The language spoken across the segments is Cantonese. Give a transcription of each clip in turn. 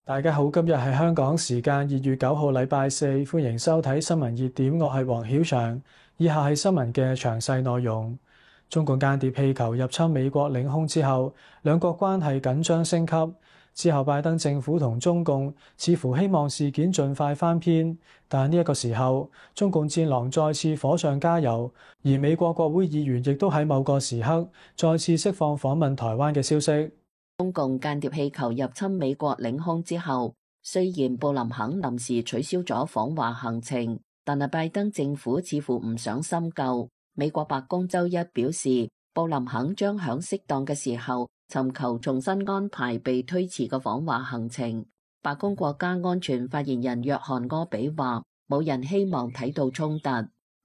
大家好，今日係香港時間2月9號，禮拜四，歡迎收睇新聞熱點。我係黃曉翔，以下係新聞嘅詳細內容。中共間諜氣球入侵美國領空之後，兩國關係緊張升級。之後，拜登政府同中共似乎希望事件盡快翻篇，但呢一個時候，中共戰狼再次火上加油，而美國國會議員亦都喺某個時刻再次釋放訪問台灣嘅消息。中共間諜氣球入侵美國領空之後，雖然布林肯臨時取消咗訪華行程，但係拜登政府似乎唔想深究。美國白宮周一表示，布林肯將響適當嘅時候尋求重新安排被推遲嘅訪華行程。白宮國家安全發言人約翰柯比話，冇人希望睇到衝突。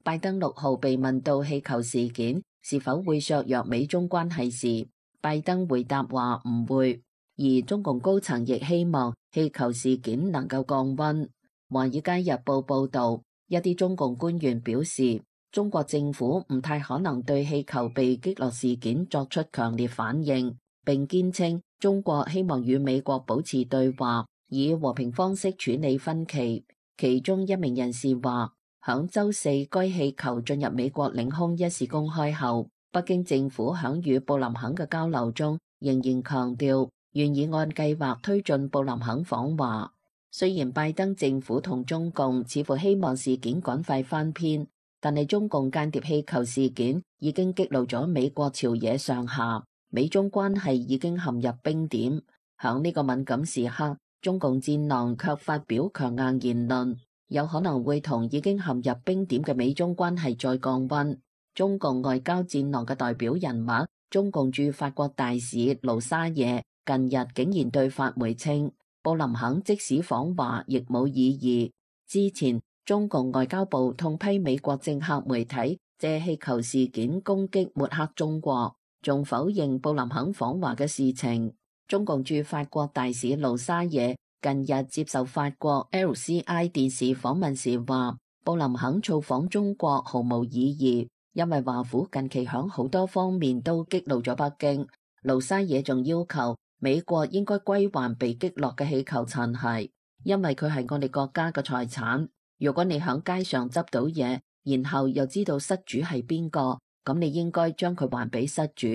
拜登6號被問到氣球事件是否會削弱美中關係時，拜登回答話唔會，而中共高層亦希望氣球事件能夠降溫。華爾街日報報道，一啲中共官員表示，中國政府唔太可能對氣球被擊落事件作出強烈反應，並堅稱中國希望與美國保持對話，以和平方式處理分歧。其中一名人士話，響週四該氣球進入美國領空一事公開後，北京政府響與布林肯嘅交流中，仍然強調願意按計劃推進布林肯訪華。雖然拜登政府同中共似乎希望事件趕快翻篇，但係中共間諜氣球事件已經激怒咗美國朝野上下，美中關係已經陷入冰點。響呢個敏感時刻，中共戰狼卻發表強硬言論，有可能會同已經陷入冰點嘅美中關係再降溫。中共外交戰狼嘅代表人物，中共駐法國大使盧沙野近日竟然對法媒稱，布林肯即使訪華亦冇意義。之前中共外交部痛批美國政客媒體借氣球事件攻擊抹黑中國，仲否認布林肯訪華嘅事情。中共駐法國大使盧沙野近日接受法國 LCI 電視訪問時話，布林肯造訪中國毫無意義，因為華府近期響好多方面都激怒咗北京。盧沙野仲要求美國應該歸還被擊落嘅氣球殘骸，因為佢係我哋國家嘅財產。如果你響街上執到嘢，然後又知道失主係邊個，咁你應該將佢還俾失主。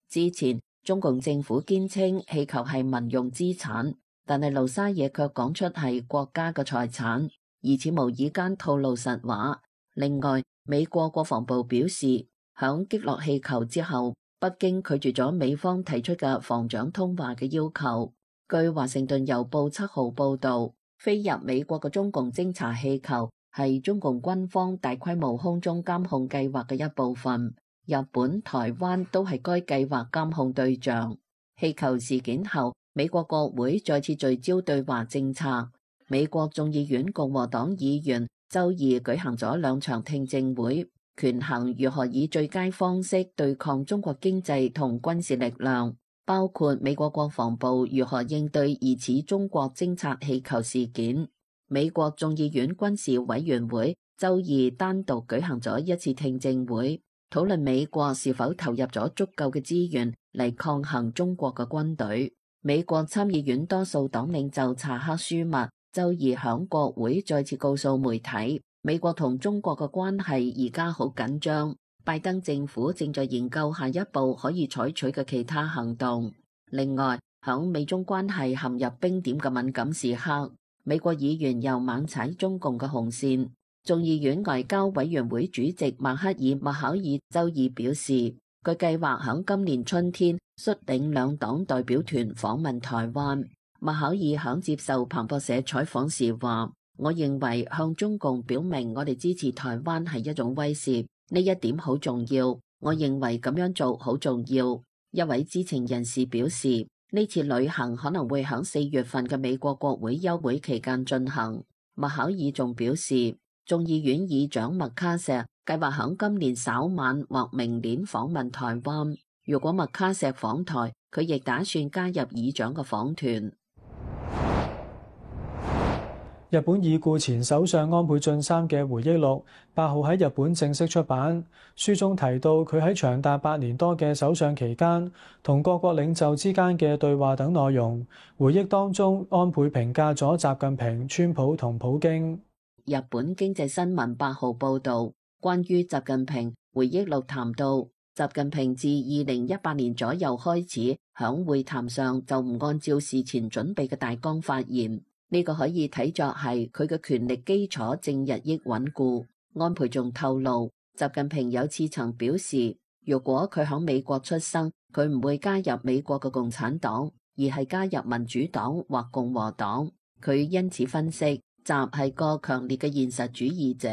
之前中共政府堅稱氣球係民用資產，但係盧沙野卻講出係國家嘅財產，而且無意間透露實話。另外，美國國防部表示，響擊落氣球之後，北京拒絕咗美方提出嘅防長通話嘅要求。據華盛頓郵報7號報道，飛入美國嘅中共偵察氣球係中共軍方大規模空中監控計劃嘅一部分，日本、台灣都係該計劃監控對象。氣球事件後，美國國會再次聚焦對華政策。美國眾議院共和黨議員周二舉行咗2場聽證會，權衡如何以最佳方式對抗中國經濟同軍事力量，包括美國國防部如何應對疑似中國偵察氣球事件。美國眾議院軍事委員會周二單獨舉行咗一次聽證會，討論美國是否投入咗足夠嘅資源嚟抗衡中國嘅軍隊。美國參議院多數黨領袖查克舒默周二響國會再次告訴媒體，美國同中國嘅關係而家好緊張，拜登政府正在研究下一步可以採取嘅其他行動。另外，響美中關係陷入冰點嘅敏感時刻，美國議員又猛踩中共嘅紅線。眾議院外交委員會主席麥克爾·麥考爾周二表示，佢計劃響今年春天率領2黨代表團訪問台灣。麥考爾響接受彭博社採訪時話，我認為向中共表明我哋支持台灣係一種威懾，呢一點好重要。我認為咁樣做好重要。一位知情人士表示，呢次旅行可能會響4月份嘅美國國會休會期間進行。麥考爾仲表示，眾議院議長麥卡錫計劃響今年稍晚或明年訪問台灣。如果麥卡錫訪台，佢亦打算加入議長嘅訪團。日本已故前首相安倍晉三嘅回憶錄8號喺日本正式出版，書中提到佢喺長達8年多嘅首相期間，同各國領袖之間嘅對話等內容。回憶當中，安倍評價咗習近平、川普同普京。日本經濟新聞8號報導，關於習近平回憶錄談到，習近平自2018年左右開始響會談上就唔按照事前準備嘅大綱發言。呢個可以睇作係佢嘅權力基礎正日益穩固。安倍仲透露，習近平有次曾表示，如果佢響美國出生，佢唔會加入美國嘅共產黨，而係加入民主黨或共和黨。佢因此分析，習係個強烈嘅現實主義者。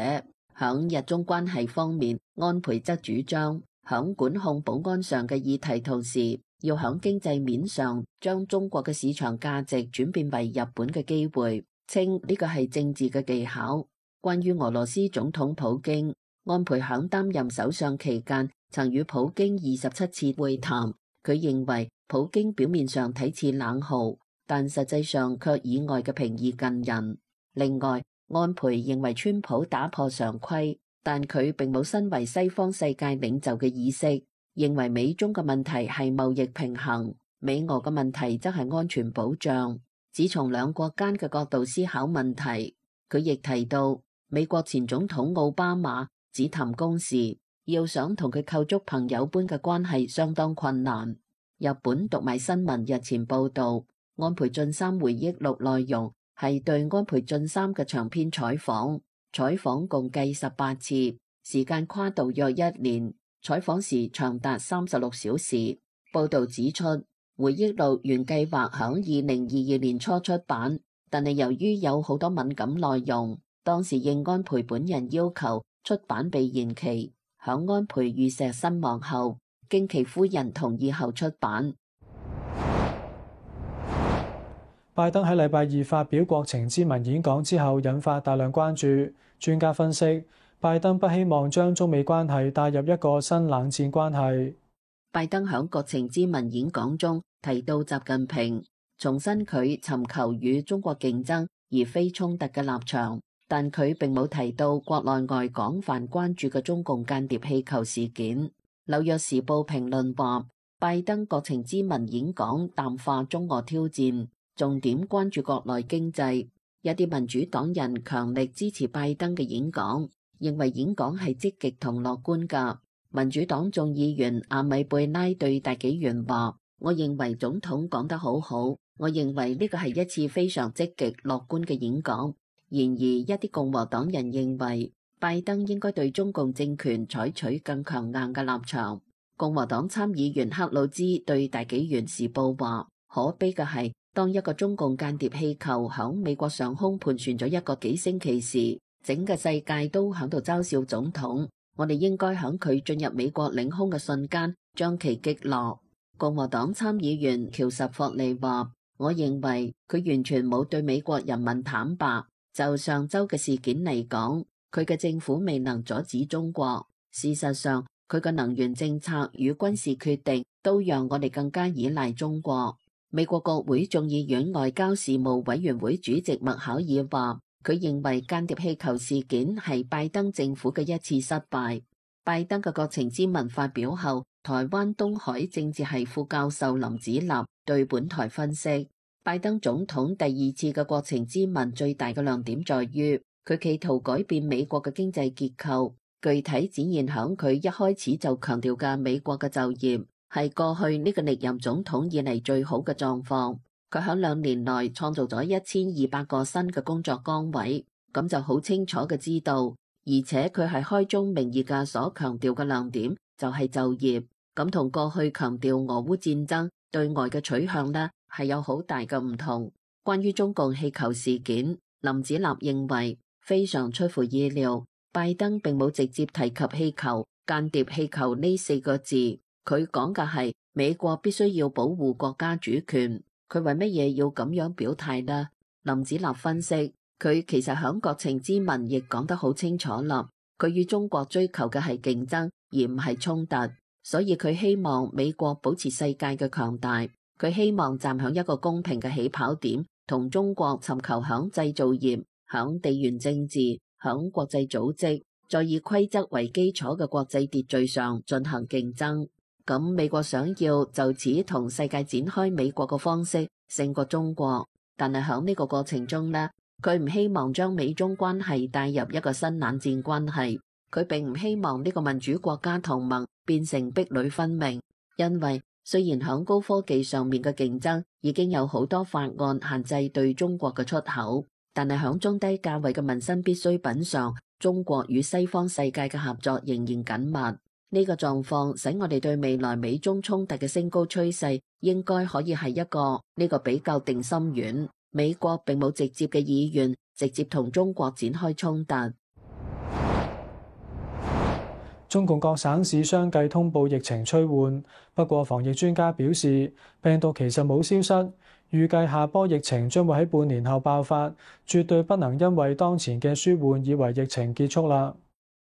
響日中關係方面，安倍則主張響管控保安上嘅議題，同時要響經濟面上將中國嘅市場價值轉變為日本嘅機會，稱呢個係政治嘅技巧。關於俄羅斯總統普京，安倍響擔任首相期間曾與普京27次會談。佢認為普京表面上睇似冷酷，但實際上卻以外嘅平易近人。另外，安倍認為川普打破常規，但佢並冇身為西方世界領袖嘅意識。認為美中嘅問題係貿易平衡，美俄嘅問題則係安全保障。只從兩國間嘅角度思考問題。佢亦提到，美國前總統奧巴馬只談公事，要想同佢構築朋友般嘅關係相當困難。日本讀賣新聞日前報道，安倍晉三回憶錄內容係對安倍晉三嘅長篇採訪，採訪共計18次，時間跨度約1年。採訪時長達36小時。報導指出，回憶錄原計劃響2022年初出版，但係由於有好多敏感內容，當時應安倍本人要求，出版被延期。響安倍遇刺身亡後，經其夫人同意後出版。拜登喺禮拜二發表國情咨文演講之後，引發大量關注。專家分析，拜登不希望將中美關係帶入一個新冷戰關係。拜登響國情咨文演講中提到習近平，重申佢尋求與中國競爭而非衝突嘅立場，但佢並冇提到國內外廣泛關注嘅中共間諜氣球事件。紐約時報評論話，拜登國情咨文演講淡化中俄挑戰，重點關注國內經濟。一啲民主黨人強力支持拜登嘅演講，認為演講係積極同樂觀㗎。民主黨眾議員阿米貝拉對大紀元話：我認為總統講得好好，我認為呢個係一次非常積極樂觀嘅演講。然而，一啲共和黨人認為拜登應該對中共政權採取更強硬嘅立場。共和黨參議員克魯茲對大紀元時報話：可悲嘅係，當一個中共間諜氣球響美國上空盤旋咗1個幾星期時，整個世界都響度嘲笑總統。我哋應該響佢進入美國領空嘅瞬間將其擊落。共和黨參議員喬什霍利話：我認為佢完全冇對美國人民坦白。就上週嘅事件嚟講，佢嘅政府未能阻止中國。事實上，佢嘅能源政策與軍事決定都讓我哋更加依賴中國。美國國會眾議院外交事務委員會主席麥考爾話，佢認為間諜氣球事件係拜登政府嘅一次失敗。拜登嘅國情咨文發表後，台灣東海政治系副教授林子立對本台分析，拜登總統第2次嘅國情咨文最大嘅亮點在於，佢企圖改變美國嘅經濟結構，具體展現響佢一開始就強調嘅美國嘅就業係過去呢個歷任總統以嚟最好嘅狀況。佢響2年內創造咗1200個新嘅工作崗位，咁就好清楚嘅知道，而且佢係開宗明義嘅所強調嘅亮點就係就業，咁同過去強調俄烏戰爭對外嘅取向呢係有好大嘅唔同。關於中共氣球事件，林子立認為非常出乎意料，拜登並冇直接提及氣球、間諜氣球呢4個字，佢講嘅係美國必須要保護國家主權。佢為乜嘢要咁樣表態呢？林子立分析，佢其實響國情咨文亦講得好清楚啦。佢與中國追求嘅係競爭，而唔係衝突，所以佢希望美國保持世界嘅強大。佢希望站響一個公平嘅起跑點，同中國尋求響製造業、響地緣政治、響國際組織，再以規則為基礎嘅國際秩序上進行競爭。咁美國想要就此同世界展開美國嘅方式勝過中國，但係響呢個過程中呢，佢唔希望將美中關係帶入一個新冷戰關係。佢並唔希望呢個民主國家同盟變成壁壘分明，因為雖然響高科技上面嘅競爭已經有好多法案限制對中國嘅出口，但係響中低價位嘅民生必需品上，中國與西方世界嘅合作仍然緊密。呢個狀況使我哋對未來美中衝突嘅升高趨勢應該可以係一個呢個比較定心丸。美國並冇直接嘅意願直接同中國展開衝突。中共各省市相繼通報疫情趨緩，不過防疫專家表示，病毒其實冇消失，預計下波疫情將會喺半年後爆發，絕對不能因為當前嘅舒緩以為疫情結束啦。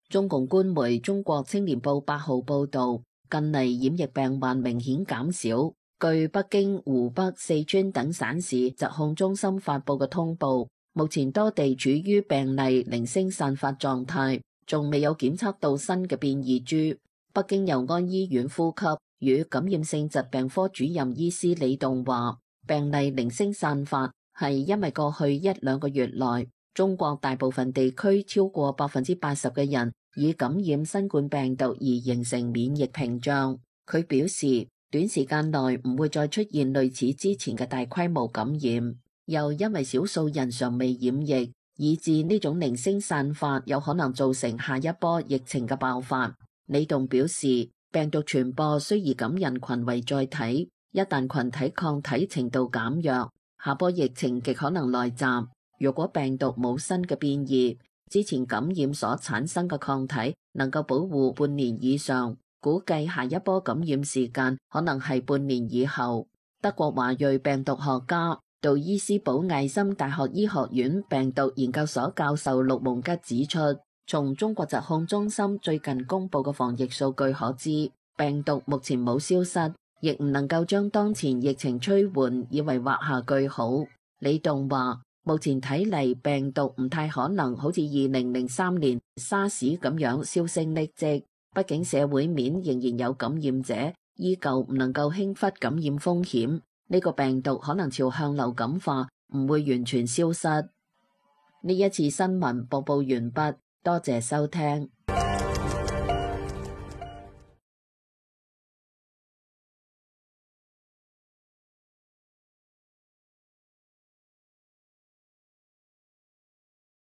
中共官媒《中國青年報》8號報導，近嚟染疫病患明顯減少。據北京、湖北、四川等省市疾控中心發佈嘅通報，目前多地處於病例零星散發狀態，仲未有檢測到新嘅變異株。北京佑安醫院呼吸與感染性疾病科主任醫師李棟話，病例零星散發係因為過去1-2個月內，中國大部分地區超過80%嘅人以感染新冠病毒而形成免疫屏障。佢表示，短時間內唔會再出現類似之前嘅大規模感染，又因為少數人尚未染疫，以致呢種零星散發有可能造成下一波疫情嘅爆發。李棟表示，病毒傳播需以感人群為載體，一旦群體抗體程度減弱，下波疫情極可能來襲。如果病毒冇新嘅變異，之前感染所產生嘅抗體能夠保護半年以上，估計下一波感染時間可能係半年以後。德國華裔病毒學家、杜伊斯堡艾森大學醫學院病毒研究所教授陸蒙吉指出，從中國疾控中心最近公布嘅防疫數據可知，病毒目前冇消失，亦唔能夠將當前疫情趨緩以為畫下句號。李棟話，目前睇嚟病毒唔太可能好似2003年沙士咁樣銷聲匿跡。畢竟社會面仍然有感染者，依舊唔能夠輕忽感染風險。呢個病毒可能朝向流感化，唔會完全消失。呢一次新聞播報完畢，多謝收聽。